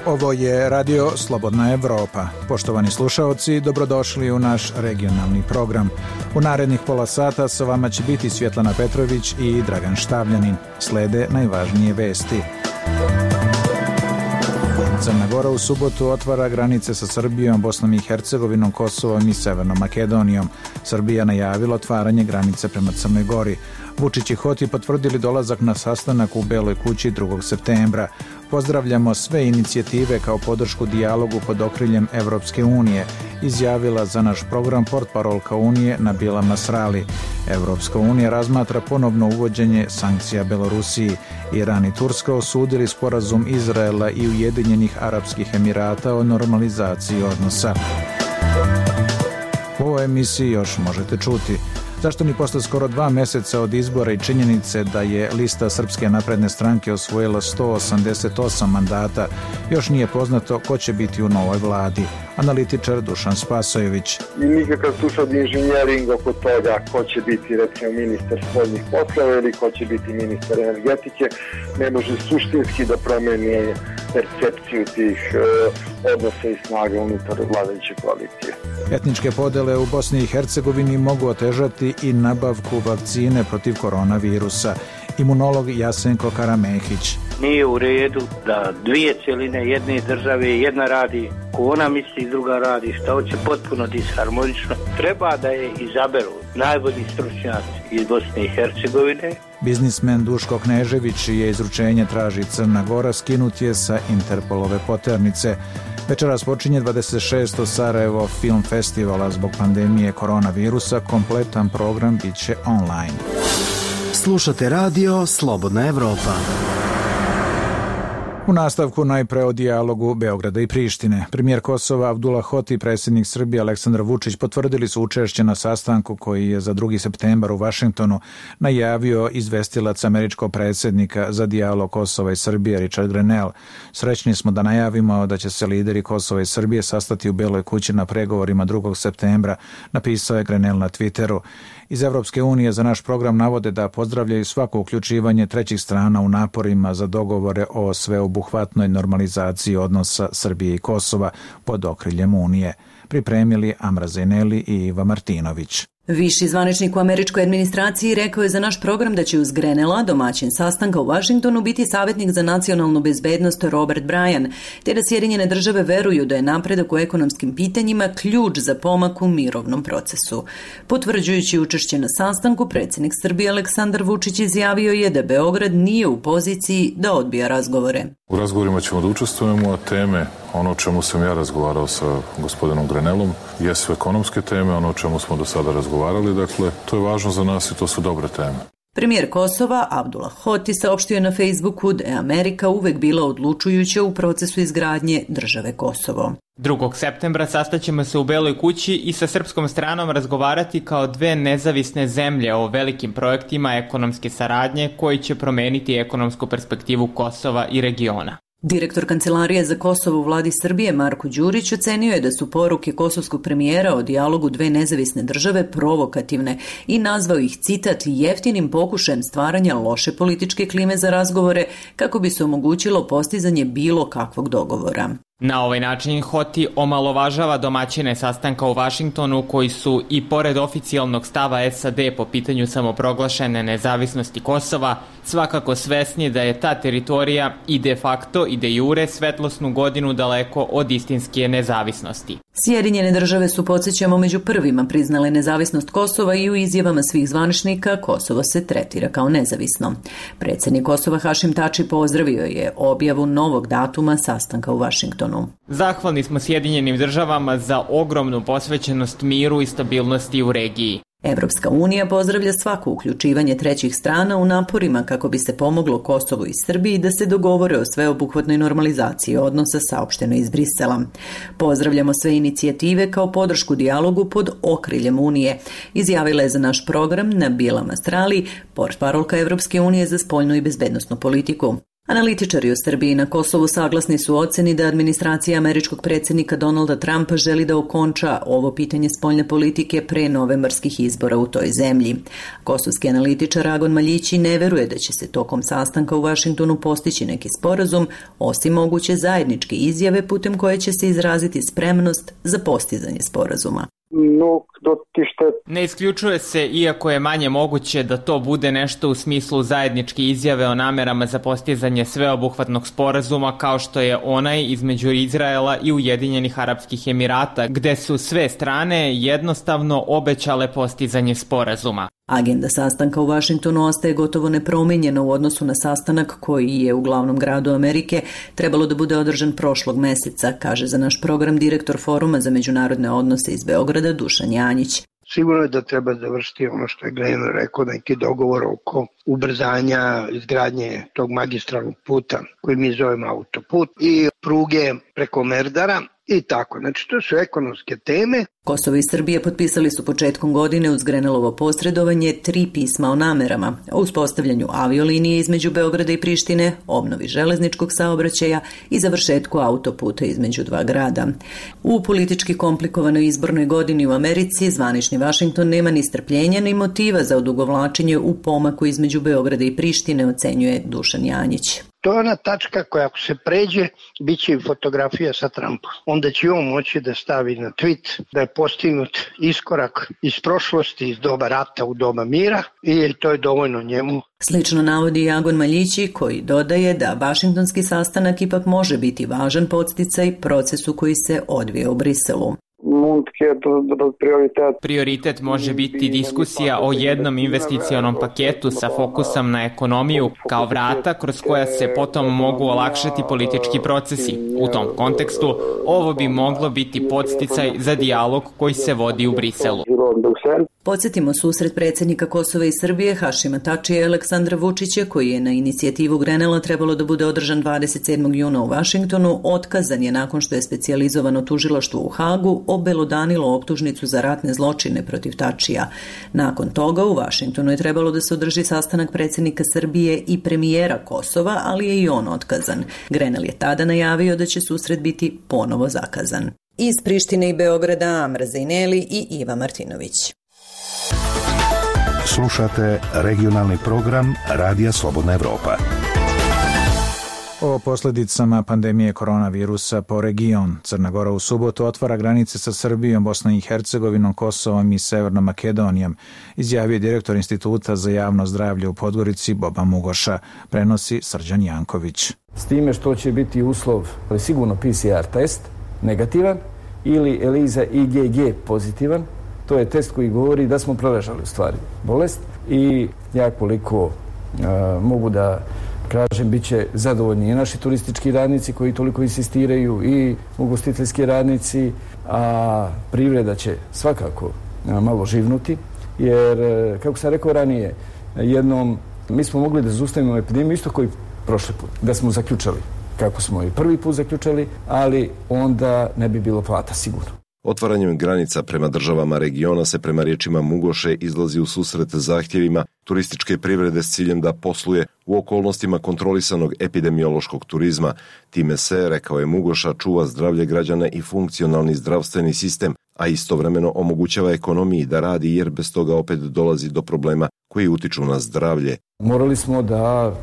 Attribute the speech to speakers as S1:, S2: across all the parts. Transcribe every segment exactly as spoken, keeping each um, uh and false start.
S1: Ovo je Radio Slobodna Evropa. Poštovani slušaoci, dobrodošli u naš regionalni program. U narednih pola sata sa vama će biti Svjetlana Petrović i Dragan Štavljanin. Slede najvažnije vesti. Crna Gora u subotu otvara granice sa Srbijom, Bosnom i Hercegovinom, Kosovom i Severnom Makedonijom. Srbija najavila otvaranje granice prema Crnoj Gori. Vučić i Hoti potvrdili dolazak na sastanak u Beloj kući drugog septembra. Pozdravljamo sve inicijative kao podršku dijalogu pod okriljem Evropske unije, izjavila za naš program portparolka Unije Nabila Masrali. Evropska unija razmatra ponovno uvođenje sankcija Belorusiji. Iran i Turska osudili sporazum Izraela i Ujedinjenih Arapskih Emirata o normalizaciji odnosa. U ovoj emisiji još možete čuti: zašto ni posle skoro dva meseca od izbora i činjenice da je lista Srpske napredne stranke osvojila sto osamdeset osam mandata, još nije poznato ko će biti u novoj vladi. Analitičar Dušan Spasojević.
S2: I nikakav tu sad inženjering oko toga ko će biti recimo ministar spoljnih poslova ili ko će biti ministar energetike ne može suštinski da promeni percepciju tih e, odnosa i snaga unutar vladajuće koalicije.
S1: Etničke podele u Bosni i Hercegovini mogu otežati i nabavku vakcine protiv koronavirusa. Imunolog Jasenko Karamehić.
S3: Nije u redu da dvije cjeline jedne države, jedna radi ko ona misli, druga radi što hoće, potpuno disharmonično. Treba da je izaberu najbolji stručnjaci iz Bosne i Hercegovine.
S1: Biznismen Duško Knežević, čije izručenje traži Crna Gora, skinut je sa Interpolove poternice. Večeras počinje dvadeset šesti Sarajevo Film Festivala. Zbog pandemije koronavirusa kompletan program bit će online.
S4: Slušate Radio Slobodna Evropa.
S1: U nastavku najpre o dijalogu Beograda i Prištine. Premijer Kosova Abdullah Hoti i predsjednik Srbije Aleksandar Vučić potvrdili su učešće na sastanku koji je za drugi septembar u Vašingtonu najavio izvestilac američkog predsjednika za dijalog Kosova i Srbije Richard Grenell. Srećni smo da najavimo da će se lideri Kosova i Srbije sastati u Beloj kući na pregovorima drugog septembra, napisao je Grenell na Twitteru. Iz Evropske unije za naš program navode da pozdravljaju svako uključivanje trećih strana u naporima za dogovore o sveobuhvatnoj normalizaciji odnosa Srbije i Kosova pod okriljem Unije. Pripremili Amra Zeneli i Iva Martinović.
S5: Viši zvaničnik u američkoj administraciji rekao je za naš program da će uz Grenella, domaćin sastanka u Vašingtonu, biti savjetnik za nacionalnu bezbednost Robert Bryan, te da Sjedinjene države veruju da je napredak u ekonomskim pitanjima ključ za pomak u mirovnom procesu. Potvrđujući učešće na sastanku, predsjednik Srbije Aleksandar Vučić izjavio je da Beograd nije u poziciji da odbija razgovore.
S6: U razgovorima ćemo da učestvujemo, a teme, ono o čemu sam ja razgovarao sa gospodinom Grenellom, jesu ekonomske teme, ono o čemu smo do sada razgovarali, dakle, to je važno za nas i to su dobre teme.
S5: Premijer Kosova Abdullah Hoti saopštio na Facebooku da je Amerika uvek bila odlučujuća u procesu izgradnje države Kosovo.
S7: drugog septembra sastaćemo se u Beloj kući i sa srpskom stranom razgovarati kao dve nezavisne zemlje o velikim projektima ekonomske saradnje koji će promeniti ekonomsku perspektivu Kosova i regiona.
S5: Direktor Kancelarije za Kosovo u vladi Srbije Marko Đurić ocenio je da su poruke kosovskog premijera o dijalogu dve nezavisne države provokativne i nazvao ih, citat, jeftinim pokušajem stvaranja loše političke klime za razgovore kako bi se omogućilo postizanje bilo kakvog dogovora.
S7: Na ovaj način Hoti omalovažava domaćine sastanka u Vašingtonu koji su i pored oficijalnog stava S A D po pitanju samoproglašene nezavisnosti Kosova svakako svesni da je ta teritorija i de facto i de jure svetlosnu godinu daleko od istinske nezavisnosti.
S5: Sjedinjene države su, podsjećamo, među prvima priznale nezavisnost Kosova i u izjavama svih zvaničnika Kosovo se tretira kao nezavisno. Predsjednik Kosova Hašim Tači pozdravio je objavu novog datuma sastanka u Vašingtonu.
S7: Zahvalni smo Sjedinjenim državama za ogromnu posvećenost miru i stabilnosti u regiji.
S5: Evropska unija pozdravlja svako uključivanje trećih strana u naporima kako bi se pomoglo Kosovu i Srbiji da se dogovore o sveobuhvatnoj normalizaciji odnosa, saopšteno iz Brisela. Pozdravljamo sve inicijative kao podršku dijalogu pod okriljem Unije, izjavila je za naš program Nabila Masrali, portparolka Evropske unije za spoljnu i bezbednosnu politiku. Analitičari u Srbiji i na Kosovu saglasni su oceni da administracija američkog predsjednika Donalda Trumpa želi da okonča ovo pitanje spoljne politike pre novembarskih izbora u toj zemlji. Kosovski analitičar Agon Maljići ne veruje da će se tokom sastanka u Vašingtonu postići neki sporazum, osim moguće zajedničke izjave putem koje će se izraziti spremnost za postizanje sporazuma.
S7: Ne isključuje se, iako je manje moguće da to bude nešto u smislu zajedničke izjave o namerama za postizanje sveobuhvatnog sporazuma kao što je onaj između Izraela i Ujedinjenih Arapskih Emirata, gde su sve strane jednostavno obećale postizanje sporazuma.
S5: Agenda sastanka u Vašingtonu ostaje gotovo nepromijenjena u odnosu na sastanak koji je u glavnom gradu Amerike trebalo da bude održan prošlog meseca, kaže za naš program direktor Foruma za međunarodne odnose iz Beograda Dušan Janjić.
S8: Sigurno je da treba završiti ono što je Grenell rekao, neki dogovor oko ubrzanja izgradnje tog magistralnog puta koji mi zovemo autoput i pruge preko Merdara i tako. Znači to su ekonomske teme.
S5: Kosovo i Srbije potpisali su početkom godine uz Grenellovo posredovanje tri pisma o namerama, o uspostavljanju aviolinije između Beograda i Prištine, obnovi železničkog saobraćaja i završetku autoputa između dva grada. U politički komplikovanoj izbornoj godini u Americi zvanični Vašington nema ni strpljenja ni motiva za odugovlačenje u pomaku između Beograda i Prištine, ocenjuje Dušan Janjić.
S8: To je ona tačka koja ako se pređe, bit će i fotografija sa Trumpom. Onda će on moći da stavi na tweet da je postignut iskorak iz prošlosti, iz doba rata u doba mira i to je dovoljno njemu.
S5: Slično navodi i Agon Maljići koji dodaje da vašingtonski sastanak ipak može biti važan podsticaj procesu koji se odvija u Briselu.
S7: Prioritet može biti diskusija o jednom investicionom paketu sa fokusom na ekonomiju kao vrata kroz koja se potom mogu olakšati politički procesi. U tom kontekstu ovo bi moglo biti podsticaj za dijalog koji se vodi u Briselu.
S5: Podsjetimo susret predsjednika Kosova i Srbije Hašima Tačija i Aleksandra Vučića, koji je na inicijativu Grenella trebalo da bude održan dvadeset sedmog juna u Vašingtonu, otkazan je nakon što je specijalizovano tužilaštvo u Hagu obelodanilo optužnicu za ratne zločine protiv Tačija. Nakon toga u Vašingtonu je trebalo da se održi sastanak predsjednika Srbije i premijera Kosova, ali je i on otkazan. Grenell je tada najavio da će susret biti ponovo zakazan. Iz Prištine i Beograda Amra Zejneli i Iva Martinović.
S9: Slušate regionalni program Radija Slobodna Evropa.
S1: O posljedicama pandemije koronavirusa po region. Crna Gora u subotu otvara granice sa Srbijom, Bosnom i Hercegovinom, Kosovom i Severnom Makedonijom, izjavio direktor Instituta za javno zdravlje u Podgorici Boba Mugoša, prenosi Srđan Janković.
S10: S time što će biti uslov, ali sigurno P C R test negativan ili ELISA I G G pozitivan. To je test koji govori da smo preležali u stvari bolest i ja koliko a, mogu da kažem, bit će zadovoljni i naši turistički radnici koji toliko insistiraju i ugostiteljski radnici, a privreda će svakako a, malo živnuti, jer, kako sam rekao ranije, jednom mi smo mogli da zaustavimo epidemiju isto koji prošli put, da smo zaključali kako smo i prvi put zaključali, ali onda ne bi bilo plata sigurno.
S11: Otvaranjem granica prema državama regiona se prema riječima Mugoše izlazi u susret zahtjevima turističke privrede s ciljem da posluje u okolnostima kontrolisanog epidemiološkog turizma. Time se, rekao je Mugoša, čuva zdravlje građana i funkcionalni zdravstveni sistem, a istovremeno omogućava ekonomiji da radi jer bez toga opet dolazi do problema koji utiču na zdravlje.
S10: Morali smo da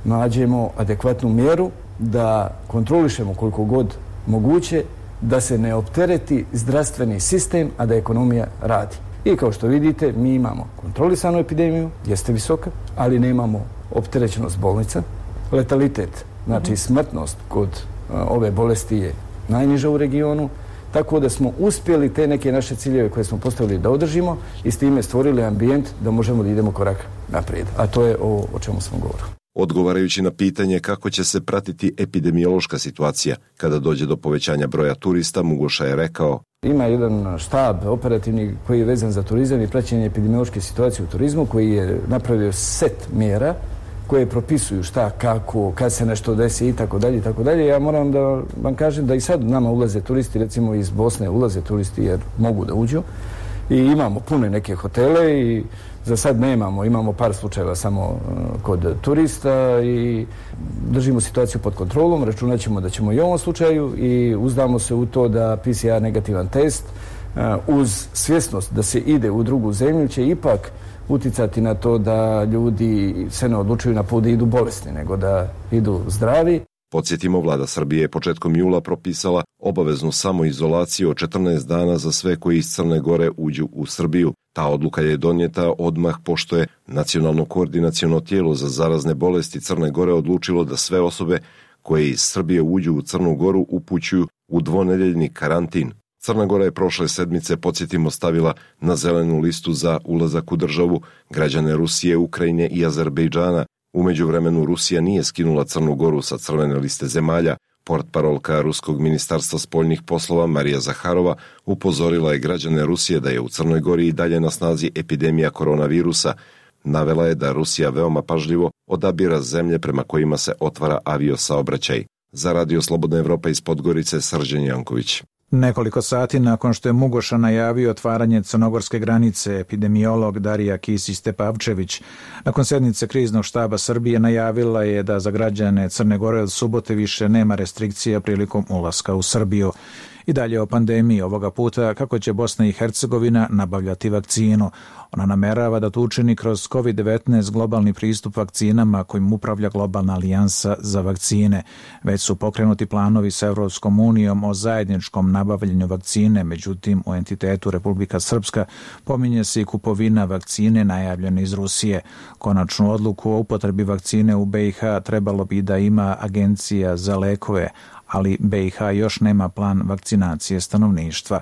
S10: nađemo adekvatnu mjeru, da kontrolišemo koliko god moguće, da se ne optereti zdravstveni sistem, a da ekonomija radi. I kao što vidite, mi imamo kontrolisanu epidemiju, jeste visoka, ali nemamo opterećenost bolnica. Letalitet, znači smrtnost kod a, ove bolesti je najniža u regionu, tako da smo uspjeli te neke naše ciljeve koje smo postavili da održimo i s time stvorili ambijent da možemo da idemo korak naprijed. A to je ovo o čemu smo govorili.
S11: Odgovarajući na pitanje kako će se pratiti epidemiološka situacija kada dođe do povećanja broja turista, Mugoša je rekao:
S10: ima jedan štab operativni koji je vezan za turizam i praćenje epidemiološke situacije u turizmu, koji je napravio set mjera koje propisuju šta, kako, kad se nešto desi i tako dalje i tako dalje. Ja moram da vam kažem da i sad nama ulaze turisti, recimo iz Bosne ulaze turisti jer mogu da uđu i imamo pune neke hotele i za sad nemamo, imamo par slučajeva samo kod turista i držimo situaciju pod kontrolom, računat ćemo da ćemo i u ovom slučaju i uzdamo se u to da P C R negativan test uz svjesnost da se ide u drugu zemlju će ipak uticati na to da ljudi se ne odlučuju na put da idu bolesni, nego da idu zdravi.
S11: Podsjetimo, vlada Srbije je početkom jula propisala obaveznu samoizolaciju od četrnaest dana za sve koji iz Crne Gore uđu u Srbiju. Ta odluka je donijeta odmah pošto je Nacionalno koordinaciono tijelo za zarazne bolesti Crne Gore odlučilo da sve osobe koje iz Srbije uđu u Crnu Goru upućuju u dvonedeljni karantin. Crna Gora je prošle sedmice, podsjetimo, stavila na zelenu listu za ulazak u državu građane Rusije, Ukrajine i Azerbejdžana. U međuvremenu Rusija nije skinula Crnu Goru sa crvene liste zemalja. Portparolka Ruskog ministarstva spoljnih poslova Marija Zaharova upozorila je građane Rusije da je u Crnoj Gori i dalje na snazi epidemija koronavirusa. Navela je da Rusija veoma pažljivo odabira zemlje prema kojima se otvara aviosaobraćaj. Za Radio Slobodna Evropa iz Podgorice, Srđan Janković.
S1: Nekoliko sati nakon što je Mugoša najavio otvaranje crnogorske granice, epidemiolog Darija Kisić-Tepavčević nakon sednice kriznog štaba Srbije najavila je da za građane Crne Gore od subote više nema restrikcija prilikom ulaska u Srbiju. I dalje o pandemiji, ovoga puta kako će Bosna i Hercegovina nabavljati vakcinu. Ona namerava da to učini kroz kovid devetnaest globalni pristup vakcinama kojim upravlja globalna alijansa za vakcine. Već su pokrenuti planovi sa Evropskom unijom o zajedničkom nabavljanju vakcine, međutim u entitetu Republika Srpska pominje se i kupovina vakcine najavljene iz Rusije. Konačnu odluku o upotrebi vakcine u B i H trebalo bi da ima Agencija za lekove, ali B i H još nema plan vakcinacije stanovništva.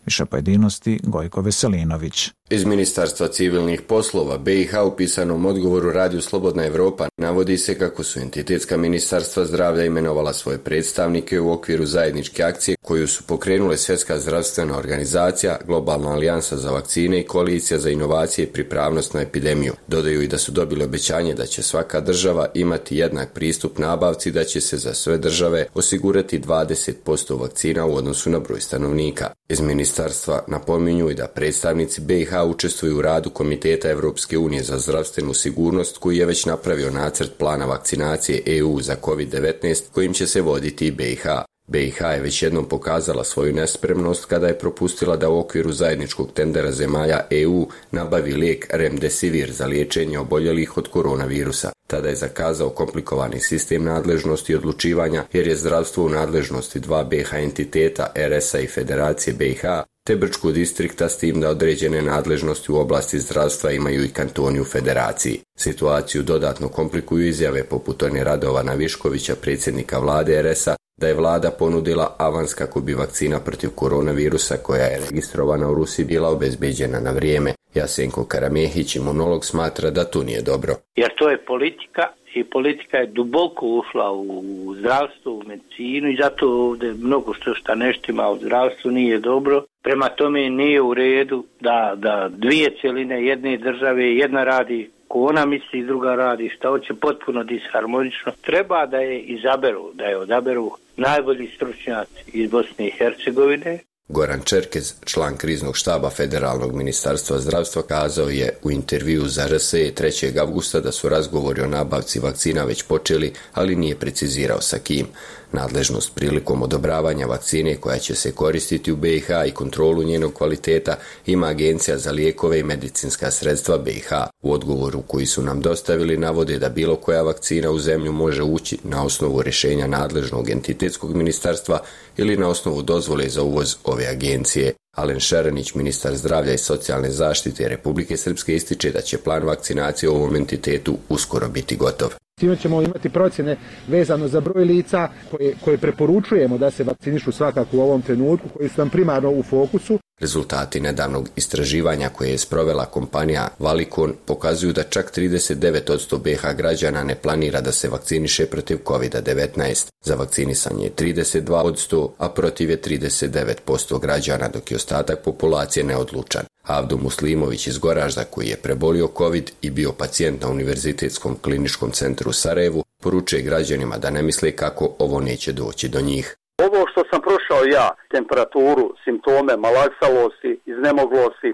S1: Više pojedinosti Gojko Veselinović.
S12: Iz Ministarstva civilnih poslova B i H u pisanom odgovoru Radiju Slobodna Evropa navodi se kako su entitetska ministarstva zdravlja imenovala svoje predstavnike u okviru zajedničke akcije koju su pokrenule Svjetska zdravstvena organizacija, Globalna alijansa za vakcine i Koalicija za inovacije i pripravnost na epidemiju. Dodaju i da su dobili obećanje da će svaka država imati jednak pristup nabavci, da će se za sve države osigurati dvadeset posto vakcina u odnosu na broj stanovnika. Iz ministarstva napominju i da predstavnici B i H učestvuju u radu Komiteta Evropske unije za zdravstvenu sigurnost koji je već napravio nacrt plana vakcinacije E U za kovid devetnaest kojim će se voditi i B i H. B i H je već jednom pokazala svoju nespremnost kada je propustila da u okviru zajedničkog tendera zemalja E U nabavi lijek Remdesivir za liječenje oboljelih od koronavirusa. Tada je zakazao komplikovani sistem nadležnosti i odlučivanja jer je zdravstvo u nadležnosti dva B i H entiteta R S A i Federacije B i H, te Brčkog distrikta, s tim da određene nadležnosti u oblasti zdravstva imaju i kantoni u federaciji. Situaciju dodatno komplikuju izjave poput one Radovana Viškovića, predsjednika vlade R S A, da je vlada ponudila avans kako bi vakcina protiv koronavirusa koja je registrovana u Rusiji bila obezbeđena na vrijeme. Jasenko Karamehić, imunolog, smatra da to nije dobro.
S3: Jer to je politika i politika je duboko ušla u zdravstvo, u medicinu i zato ovdje mnogo što šta neštima u zdravstvu nije dobro. Prema tome nije u redu da, da dvije cjeline jedne države, jedna radi ko ona misli, druga radi šta hoće, potpuno disharmonično. Treba da je izaberu, da je odaberu najbolji stručnjaci iz Bosne i Hercegovine.
S12: Goran Čerkez, član kriznog štaba Federalnog ministarstva zdravstva, kazao je u intervju za R S E trećeg avgusta da su razgovori o nabavci vakcina već počeli, ali nije precizirao sa kim. Nadležnost prilikom odobravanja vakcine koja će se koristiti u B i H i kontrolu njenog kvaliteta ima Agencija za lijekove i medicinska sredstva B i H. U odgovoru koji su nam dostavili navode da bilo koja vakcina u zemlju može ući na osnovu rješenja nadležnog entitetskog ministarstva ili na osnovu dozvole za uvoz ove agencije. Alen Šerenić, ministar zdravlja i socijalne zaštite Republike Srpske, ističe da će plan vakcinacije u ovom entitetu uskoro biti gotov.
S13: Time ćemo imati procjene vezano za broj lica koje, koje preporučujemo da se vakcinišu svakako u ovom trenutku, koji su nam primarno u fokusu.
S12: Rezultati nedavnog istraživanja koje je sprovela kompanija Valikon pokazuju da čak trideset devet posto B i H građana ne planira da se vakciniše protiv kovid devetnaest. Za vakcinisanje je trideset dva posto, a protiv je trideset devet posto građana, dok je ostatak populacije neodlučan. Avdo Muslimović iz Goražda, koji je prebolio COVID i bio pacijent na Univerzitetskom kliničkom centru u Sarajevu, poručuje građanima da ne misle kako ovo neće doći do njih.
S14: Ovo što sam prošao kao ja, temperaturu, simptome malaksalosti, iznemoglosti,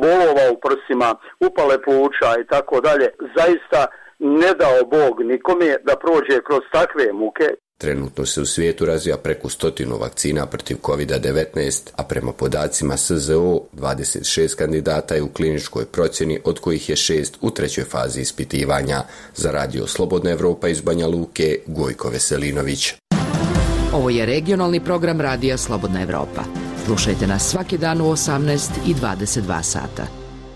S14: bolova u prsima, upale pluća i tako dalje, zaista ne dao Bog nikome da prođe kroz takve muke.
S12: Trenutno se u svijetu razvija preko stotinu vakcina protiv kovid devetnaest, a prema podacima S Z O dvadeset šest kandidata je u kliničkoj procjeni, od kojih je šest u trećoj fazi ispitivanja. Za Radio Slobodna Evropa iz Banja Luke, Gojko Veselinović.
S15: Ovo je regionalni program Radija Slobodna Evropa. Slušajte nas svaki dan u osamnaest i dvadeset dva sata.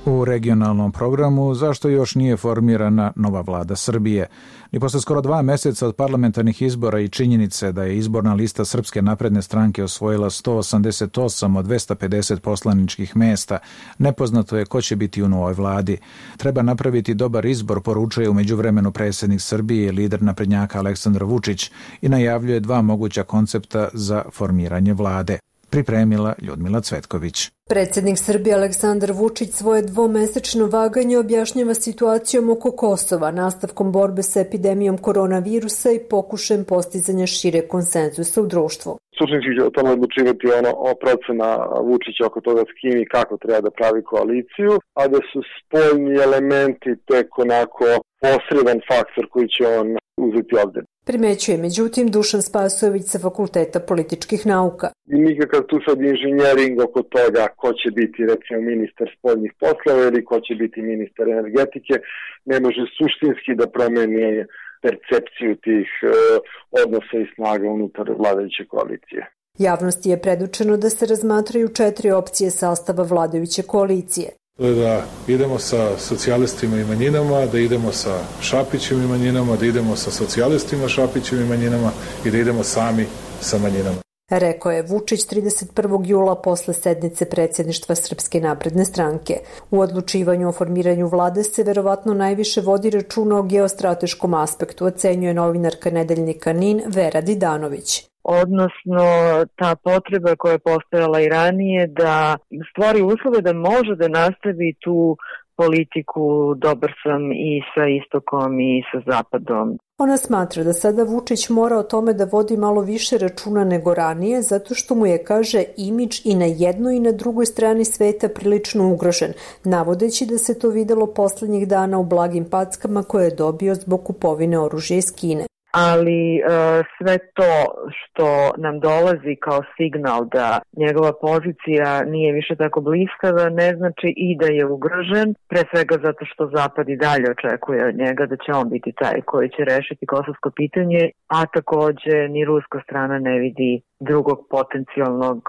S1: U regionalnom programu zašto još nije formirana nova vlada Srbije. I posle skoro dva meseca od parlamentarnih izbora i činjenice da je izborna lista Srpske napredne stranke osvojila sto osamdeset osam od dvesta pedeset poslaničkih mesta, nepoznato je ko će biti u novoj vladi. Treba napraviti dobar izbor, poručuje u međuvremenu predsjednik Srbije i lider naprednjaka Aleksandar Vučić i najavljuje dva moguća koncepta za formiranje vlade. Pripremila Ljudmila Cvetković.
S16: Predsjednik Srbije Aleksandar Vučić svoje dvomesečno vaganje objašnjava situacijom oko Kosova, nastavkom borbe sa epidemijom koronavirusa i pokušajem postizanja šire konsenzusa u društvu.
S2: Suštinski će o tome odlučivati ono o procena Vučića oko toga s kim i kako treba da pravi koaliciju, a da su spoljni elementi tek onako posredan faktor koji će on uzeti ovdje.
S16: Primećuje međutim Dušan Spasojević sa Fakulteta političkih nauka.
S2: I nikakav tu sad inženjering oko toga ko će biti recimo ministar spoljnih poslova ili ko će biti ministar energetike ne može suštinski da promeni percepciju tih e, odnosa i snaga unutar vladajuće koalicije.
S16: Javnosti je predočeno da se razmatraju četiri opcije sastava vladajuće koalicije.
S6: To je da idemo sa socijalistima i manjinama, da idemo sa Šapićem i manjinama, da idemo sa socijalistima, Šapićem i manjinama i da idemo sami sa manjinama.
S16: Rekao je Vučić trideset prvog jula posle sednice predsjedništva Srpske napredne stranke. U odlučivanju o formiranju vlade se verovatno najviše vodi računa o geostrateškom aspektu, ocenjuje novinarka nedeljnika N I N Vera Didanović.
S17: Odnosno ta potreba koja je postojala i ranije da stvori uslove da može da nastavi tu politiku dobar sam i sa istokom i sa zapadom.
S16: Ona smatra da sada Vučić mora o tome da vodi malo više računa nego ranije, zato što mu je, kaže, imidž i na jednoj i na drugoj strani sveta prilično ugrožen, navodeći da se to videlo poslednjih dana u blagim packama koje je dobio zbog kupovine oružja iz Kine.
S17: Ali e, sve to što nam dolazi kao signal da njegova pozicija nije više tako bliskava ne znači i da je ugrožen, pre svega zato što Zapad i dalje očekuje od njega da će on biti taj koji će rešiti kosovsko pitanje, a takođe ni ruska strana ne vidi drugog potencijalnog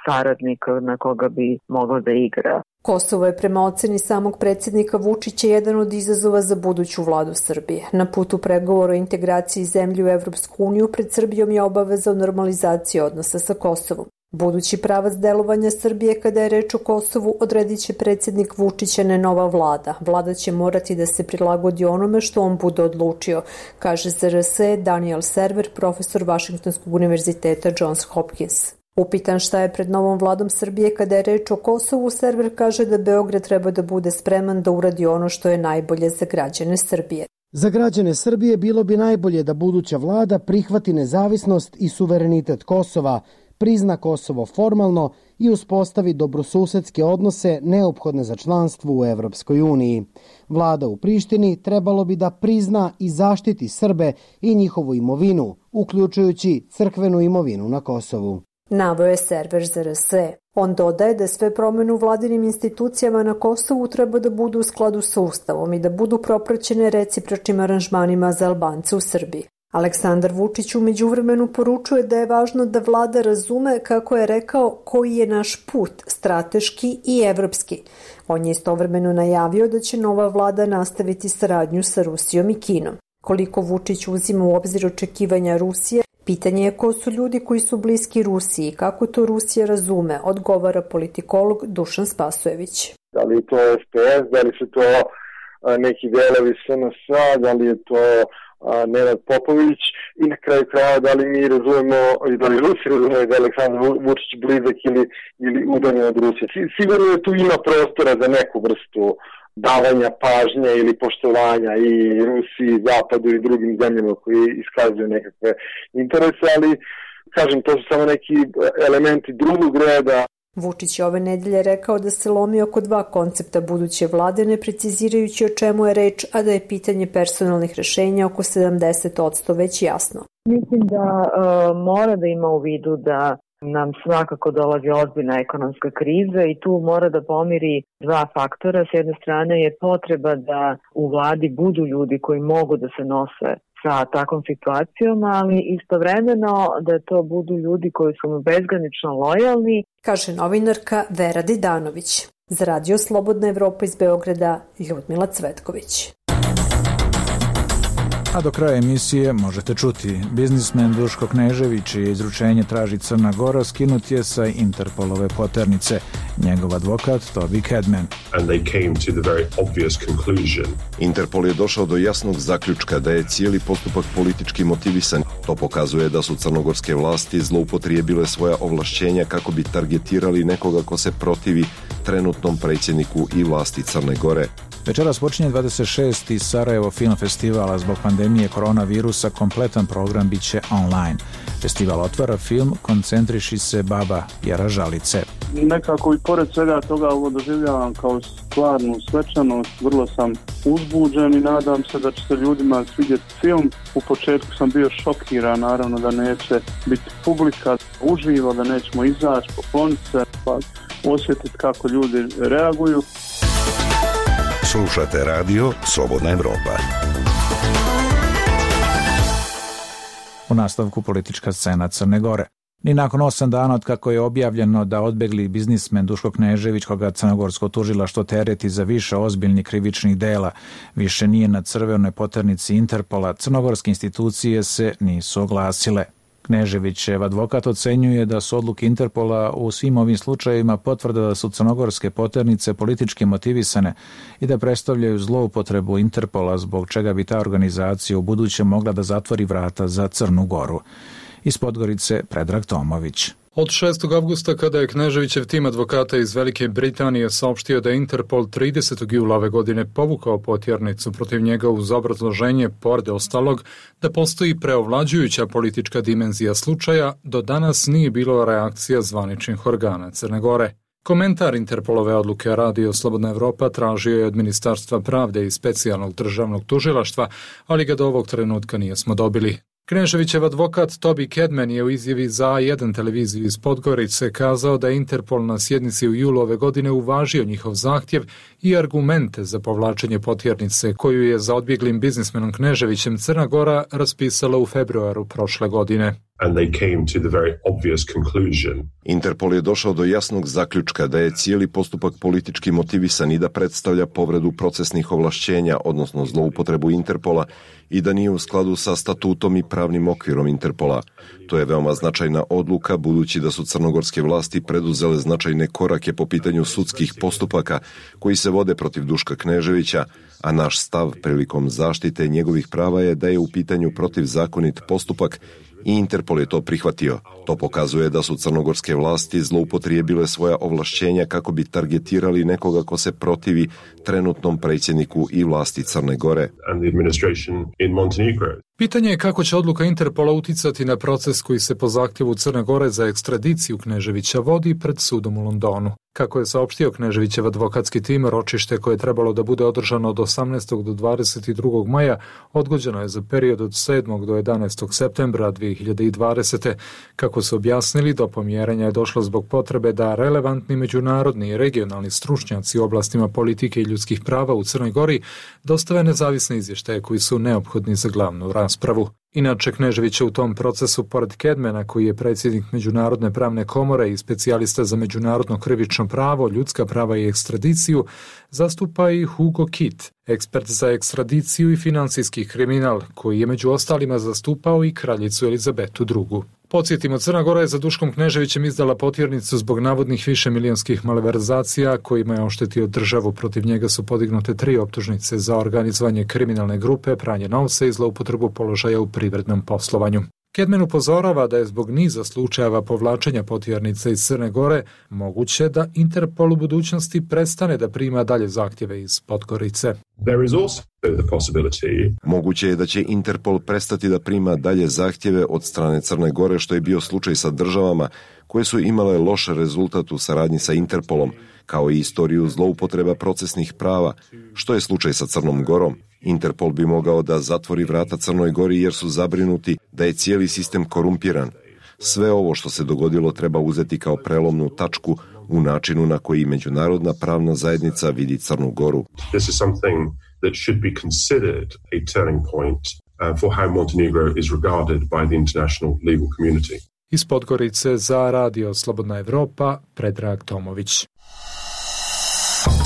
S17: saradnika na koga bi moglo da igra.
S16: Kosovo je prema oceni samog predsjednika Vučića jedan od izazova za buduću vladu Srbije. Na putu pregovora o integraciji zemlje u Evropsku uniju pred Srbijom je obaveza o normalizaciji odnosa sa Kosovom. Budući pravac delovanja Srbije kada je reč o Kosovu odredit će predsjednik Vučić, a ne nova vlada. Vlada će morati da se prilagodi onome što on bude odlučio, kaže Z R S Daniel Server, profesor Vašingtonskog univerziteta Johns Hopkins. Upitan šta je pred novom vladom Srbije kada je reč o Kosovu, Server kaže da Beograd treba da bude spreman da uradi ono što je najbolje za građane Srbije.
S18: Za građane Srbije bilo bi najbolje da buduća vlada prihvati nezavisnost i suverenitet Kosova, prizna Kosovo formalno i uspostavi dobrosusedske odnose neophodne za članstvo u Evropskoj uniji. Vlada u Prištini trebalo bi da prizna i zaštiti Srbe i njihovu imovinu, uključujući crkvenu imovinu na Kosovu.
S16: Naveo je Server Z R S. On dodaje da sve promjene u vladinim institucijama na Kosovu treba da budu u skladu sa Ustavom i da budu propraćene recipročnim aranžmanima za Albance u Srbiji. Aleksandar Vučić u međuvremenu poručuje da je važno da vlada razume, kako je rekao, koji je naš put, strateški i evropski. On je istovremeno najavio da će nova vlada nastaviti saradnju sa Rusijom i Kinom. Koliko Vučić uzima u obzir očekivanja Rusije, pitanje je ko su ljudi koji su bliski Rusiji i kako to Rusija razume, odgovara politikolog Dušan Spasojević.
S2: Da li je to S P S, da li su to neki delovi S N S A, da li je to Nenad Popović i na kraju kraja da li mi razumemo i da li Rusi razumemo da je Aleksandar Vučić blizak ili, ili udaljen od Rusije. Sigurno je tu ima prostora za neku vrstu davanja pažnje ili poštovanja i Rusiji, Zapadu i drugim zemljama koji iskazuju nekakve interese, ali Kažem, to su samo neki elementi drugog reda.
S16: Vučić je ove nedelje rekao da se lomi oko dva koncepta buduće vlade, ne precizirajući o čemu je reč, a da je pitanje personalnih rešenja oko sedamdeset posto već jasno.
S17: Mislim da uh, mora da ima u vidu da nam svakako dolazi ozbiljna ekonomska kriza i tu mora da pomiri dva faktora. S jedne strane je potreba da u vladi budu ljudi koji mogu da se nose sa takvom situacijom, ali istovremeno da to budu ljudi koji su mu bezgranično lojalni.
S16: Kaže novinarka Vera Didanović. Za Radio Slobodna Evropa iz Beograda, Ljudmila Cvetković.
S1: A do kraja emisije možete čuti: biznismen Duško Knežević, čije izručenje traži Crna Gora, skinut je sa Interpolove poternice. Njegov advokat Toby Kedman.
S19: And they came to the very obvious conclusion.
S11: Interpol je došao do jasnog zaključka da je cijeli postupak politički motivisan. To pokazuje da su crnogorske vlasti zloupotrijebile svoja ovlašćenja kako bi targetirali nekoga ko se protivi trenutnom predsjedniku i vlasti Crne Gore.
S1: Večeras počinje dvadeset šesti Sarajevo Film Festival, a zbog pandemije koronavirusa kompletan program bit će online. Festival otvara film Koncentriši se baba Jara Žalice.
S20: Nekako i pored svega toga ovo doživljavam kao stvarnu svečanost, vrlo sam uzbuđen i nadam se da će se ljudima svidjeti film. U početku sam bio šokiran, naravno da neće biti publika uživo, da nećemo izaći, pokloniti se, pa osjetiti kako ljudi reaguju.
S9: Slušate radio Slobodna Evropa.
S1: U nastavku politička scena Crne Gore. Ni nakon osam dana od kako je objavljeno da odbegli biznismen Duško Knežević, koga crnogorsko tužilaštvo tereti za više ozbiljnih krivičnih dela, više nije na crvenoj poternici Interpola, crnogorske institucije se nisu oglasile. Kneževićev advokat ocenjuje da su odluke Interpola u svim ovim slučajevima potvrda da su crnogorske poternice politički motivisane i da predstavljaju zloupotrebu Interpola, zbog čega bi ta organizacija u buduće mogla da zatvori vrata za Crnu Goru. Iz Podgorice Predrag Tomović.
S21: Od šestog avgusta, kada je Kneževićev tim advokata iz Velike Britanije saopštio da je Interpol tridesetog jula ove godine povukao potjernicu protiv njega uz obrazloženje, pored ostalog, da postoji preovlađujuća politička dimenzija slučaja, do danas nije bilo reakcija zvaničnih organa Crne Gore. Komentar Interpolove odluke Radio Slobodna Evropa tražio je od Ministarstva pravde i specijalnog državnog tužilaštva, ali ga do ovog trenutka nijesmo dobili. Kneževićev advokat Toby Kedman je u izjavi za A jedan televiziju iz Podgorice kazao da je Interpol na sjednici u julu ove godine uvažio njihov zahtjev i argumente za povlačenje potjernice koju je za odbjeglim biznismenom Kneževićem Crna Gora raspisala u februaru prošle godine.
S19: And they came to the very obvious conclusion.
S11: Interpol je došao do jasnog zaključka da je cijeli postupak politički motivisan i da predstavlja povredu procesnih ovlašćenja, odnosno zloupotrebu Interpola, i da nije u skladu sa statutom i pravnim okvirom Interpola. To je veoma značajna odluka, budući da su crnogorske vlasti preduzele značajne korake po pitanju sudskih postupaka koji se vode protiv Duška Kneževića, a naš stav prilikom zaštite njegovih prava je da je u pitanju protivzakonit postupak i Interpol je to prihvatio. To pokazuje da su crnogorske vlasti zloupotrijebile svoja ovlašćenja kako bi targetirali nekoga ko se protivi trenutnom predsjedniku i vlasti Crne Gore.
S21: Pitanje je kako će odluka Interpola uticati na proces koji se po zahtjevu Crne Gore za ekstradiciju Kneževića vodi pred sudom u Londonu. Kako je saopštio Kneževićev advokatski tim, ročište koje je trebalo da bude održano od osamnaestog do dvadeset drugog maja odgođeno je za period od sedmog do jedanaestog septembra dvije hiljade dvadesete. Kako su objasnili, do pomjerenja je došlo zbog potrebe da relevantni međunarodni i regionalni stručnjaci u oblastima politike i ljudskih prava u Crnoj Gori dostave nezavisne izvještaje koji su neophodni za glavnu raspravu. Inače, Knežević je u tom procesu, pored Kedmana, koji je predsjednik Međunarodne pravne komore i specijalista za međunarodno krivično pravo, ljudska prava i ekstradiciju, zastupa i Hugo Kitt, ekspert za ekstradiciju i financijski kriminal, koji je među ostalima zastupao i kraljicu Elizabetu drugu. Podsjetimo, Crna Gora je za Duškom Kneževićem izdala potjernicu zbog navodnih višemilijonskih malverzacija kojima je oštetio državu. Protiv njega su podignute tri optužnice za organizovanje kriminalne grupe, pranje novca i zloupotrebu položaja u privrednom poslovanju. Kedmen upozorava da je zbog niza slučajeva povlačenja potjernica iz Crne Gore moguće da Interpol u budućnosti prestane da prima dalje zahtjeve iz Podgorice.
S19: There is also the possibility.
S11: Moguće je da će Interpol prestati da prima dalje zahtjeve od strane Crne Gore, što je bio slučaj sa državama koje su imale loš rezultat u saradnji sa Interpolom, kao i istoriju zloupotreba procesnih prava, što je slučaj sa Crnom Gorom. Interpol bi mogao da zatvori vrata Crnoj Gori jer su zabrinuti da je cijeli sistem korumpiran. Sve ovo što se dogodilo treba uzeti kao prelomnu tačku u načinu na koji međunarodna pravna zajednica vidi Crnu Goru.
S19: This is something that should be considered a turning point uh, for how Montenegro is regarded by the international legal community.
S21: Iz Podgorice za Radio Slobodna Evropa, Predrag Tomović.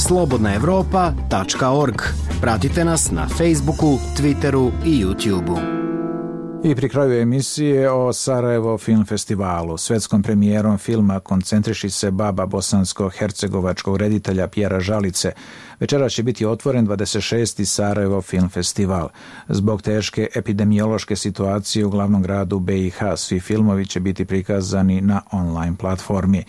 S4: slobodna evropa tačka org. Pratite nas na Facebooku, Twitteru i YouTubeu.
S1: I pri kraju emisije o Sarajevo film festivalu. Svetskom premijerom filma koncentriši se baba bosansko-hercegovačkog reditelja Pjera Žalice. Večeras će biti otvoren dvadeset šesti Sarajevo film festival. Zbog teške epidemiološke situacije u glavnom gradu B i H, svi filmovi će biti prikazani na online platformi.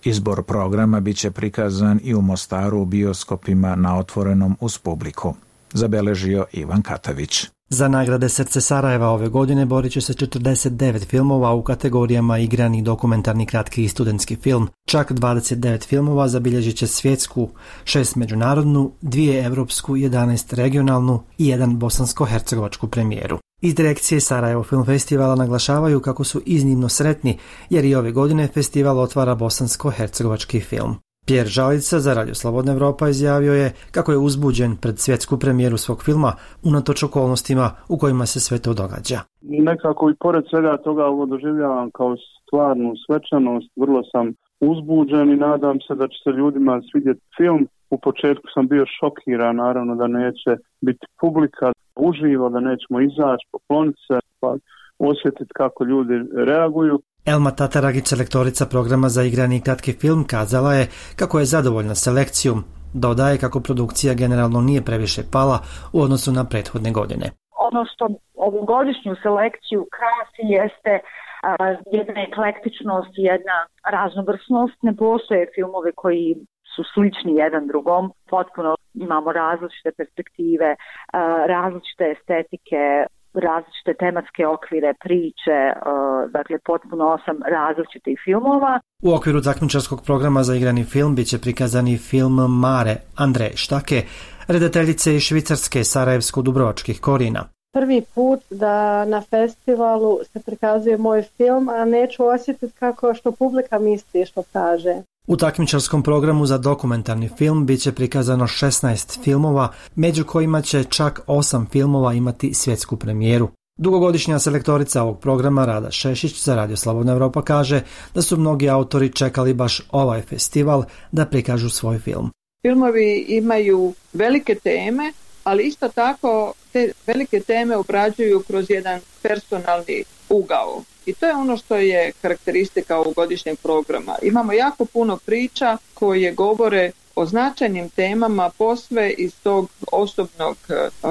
S1: Izbor programa bit će prikazan i u Mostaru u bioskopima na otvorenom uz publiku. Zabeležio Ivan Katavić.
S22: Za nagrade Srce Sarajeva ove godine borit će se četrdeset devet filmova u kategorijama igrani, dokumentarni, kratki i studentski film. Čak dvadeset devet filmova zabilježit će svjetsku, šest međunarodnu, dvije evropsku, jedanaest regionalnu i jedan bosansko-hercegovačku premijeru. Iz direkcije Sarajevo Film Festivala naglašavaju kako su iznimno sretni jer i ove godine festival otvara bosansko-hercegovački film. Pjer Žalica za Radio Slobodna Evropa izjavio je kako je uzbuđen pred svjetsku premijeru svog filma unatoč okolnostima u kojima se sve to događa.
S20: Nekako i pored svega toga ovo doživljavam kao stvarnu svečanost, vrlo sam uzbuđen i nadam se da će se ljudima svidjeti film. U početku sam bio šokiran, naravno da neće biti publika uživo, da nećemo izaći, pokloniti se, pa osjetiti kako ljudi reaguju.
S22: Elma Tataragić, selektorica programa za igrani kratki film, kazala je kako je zadovoljna selekcijom. Dodaje kako produkcija generalno nije previše pala u odnosu na prethodne godine.
S23: Ono što ovogodišnju selekciju krasi jeste a, jedna eklektičnost, jedna raznovrsnost. Ne postoje filmove koji su slični jedan drugom. Potpuno imamo različite perspektive, a, različite estetike, različite tematske okvire, priče, dakle potpuno osam različitih filmova.
S22: U okviru takmičarskog programa za igrani film bit će prikazani film Mare Andreje Štake, redateljice iz Švicarske sarajevsko-dubrovačkih korijena.
S24: Prvi put da na festivalu se prikazuje moj film, a neću osjetiti kako što publika misli što kaže.
S22: U takmičarskom programu za dokumentarni film bit će prikazano šesnaest filmova, među kojima će čak osam filmova imati svjetsku premijeru. Dugogodišnja selektorica ovog programa Rada Šešić za Radio Slobodna Evropa kaže da su mnogi autori čekali baš ovaj festival da prikažu svoj film.
S25: Filmovi imaju velike teme, ali isto tako te velike teme obrađuju kroz jedan personalni ugao. I to je ono što je karakteristika ovogodišnjeg programa. Imamo jako puno priča koje govore o značajnim temama posve iz tog osobnog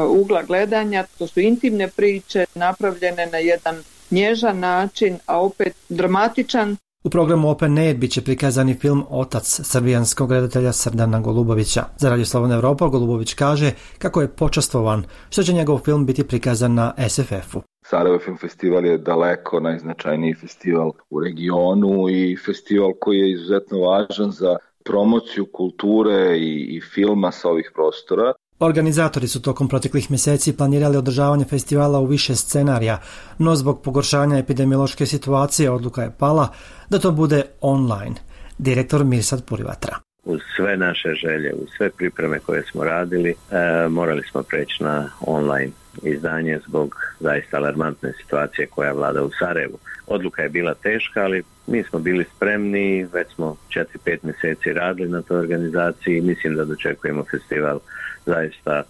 S25: ugla gledanja. To su intimne priče napravljene na jedan nježan način, a opet dramatičan.
S22: U programu Open Air bit će prikazani film Otac srbijanskog redatelja Srdana Golubovića. Za Radio Slobodna Evropa Golubović kaže kako je počastvovan što će njegov film biti prikazan na S F F-u.
S26: Sarajevo Film Festival je daleko najznačajniji festival u regionu i festival koji je izuzetno važan za promociju kulture i, i filma sa ovih prostora.
S22: Organizatori su tokom proteklih mjeseci planirali održavanje festivala u više scenarija, no zbog pogoršanja epidemiološke situacije odluka je pala da to bude online. Direktor Mirsad Purivatra.
S27: Uz sve naše želje, uz sve pripreme koje smo radili, e, morali smo preći na online izdanje zbog zaista alarmantne situacije koja vlada u Sarajevu. Odluka je bila teška, ali mi smo bili spremni, već smo četiri pet mjeseci radili na toj organizaciji i mislim da dočekujemo festival zaista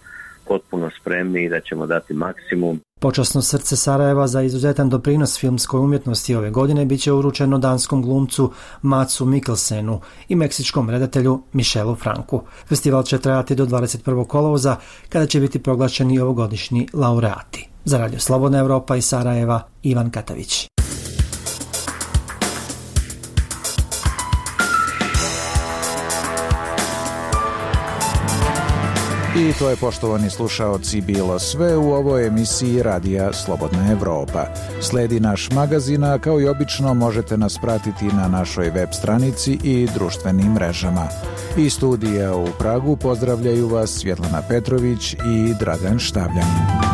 S27: potpuno spremni i da ćemo dati maksimum.
S22: Počasno srce Sarajeva za izuzetan doprinos filmskoj umjetnosti ove godine bit će uručeno danskom glumcu Matsu Mikkelsenu i meksičkom redatelju Michelu Franku. Festival će trajati do dvadeset prvog kolovoza kada će biti proglašeni ovogodišnji laureati. Za Radio Slobodna Evropa iz Sarajeva, Ivan Katavić.
S1: I to je, poštovani slušaoci, bilo sve u ovoj emisiji Radija Slobodna Evropa. Sledi naš magazin, a kao i obično možete nas pratiti na našoj web stranici i društvenim mrežama. Iz studija u Pragu pozdravljaju vas Svjetlana Petrović i Dragan Štavljanin.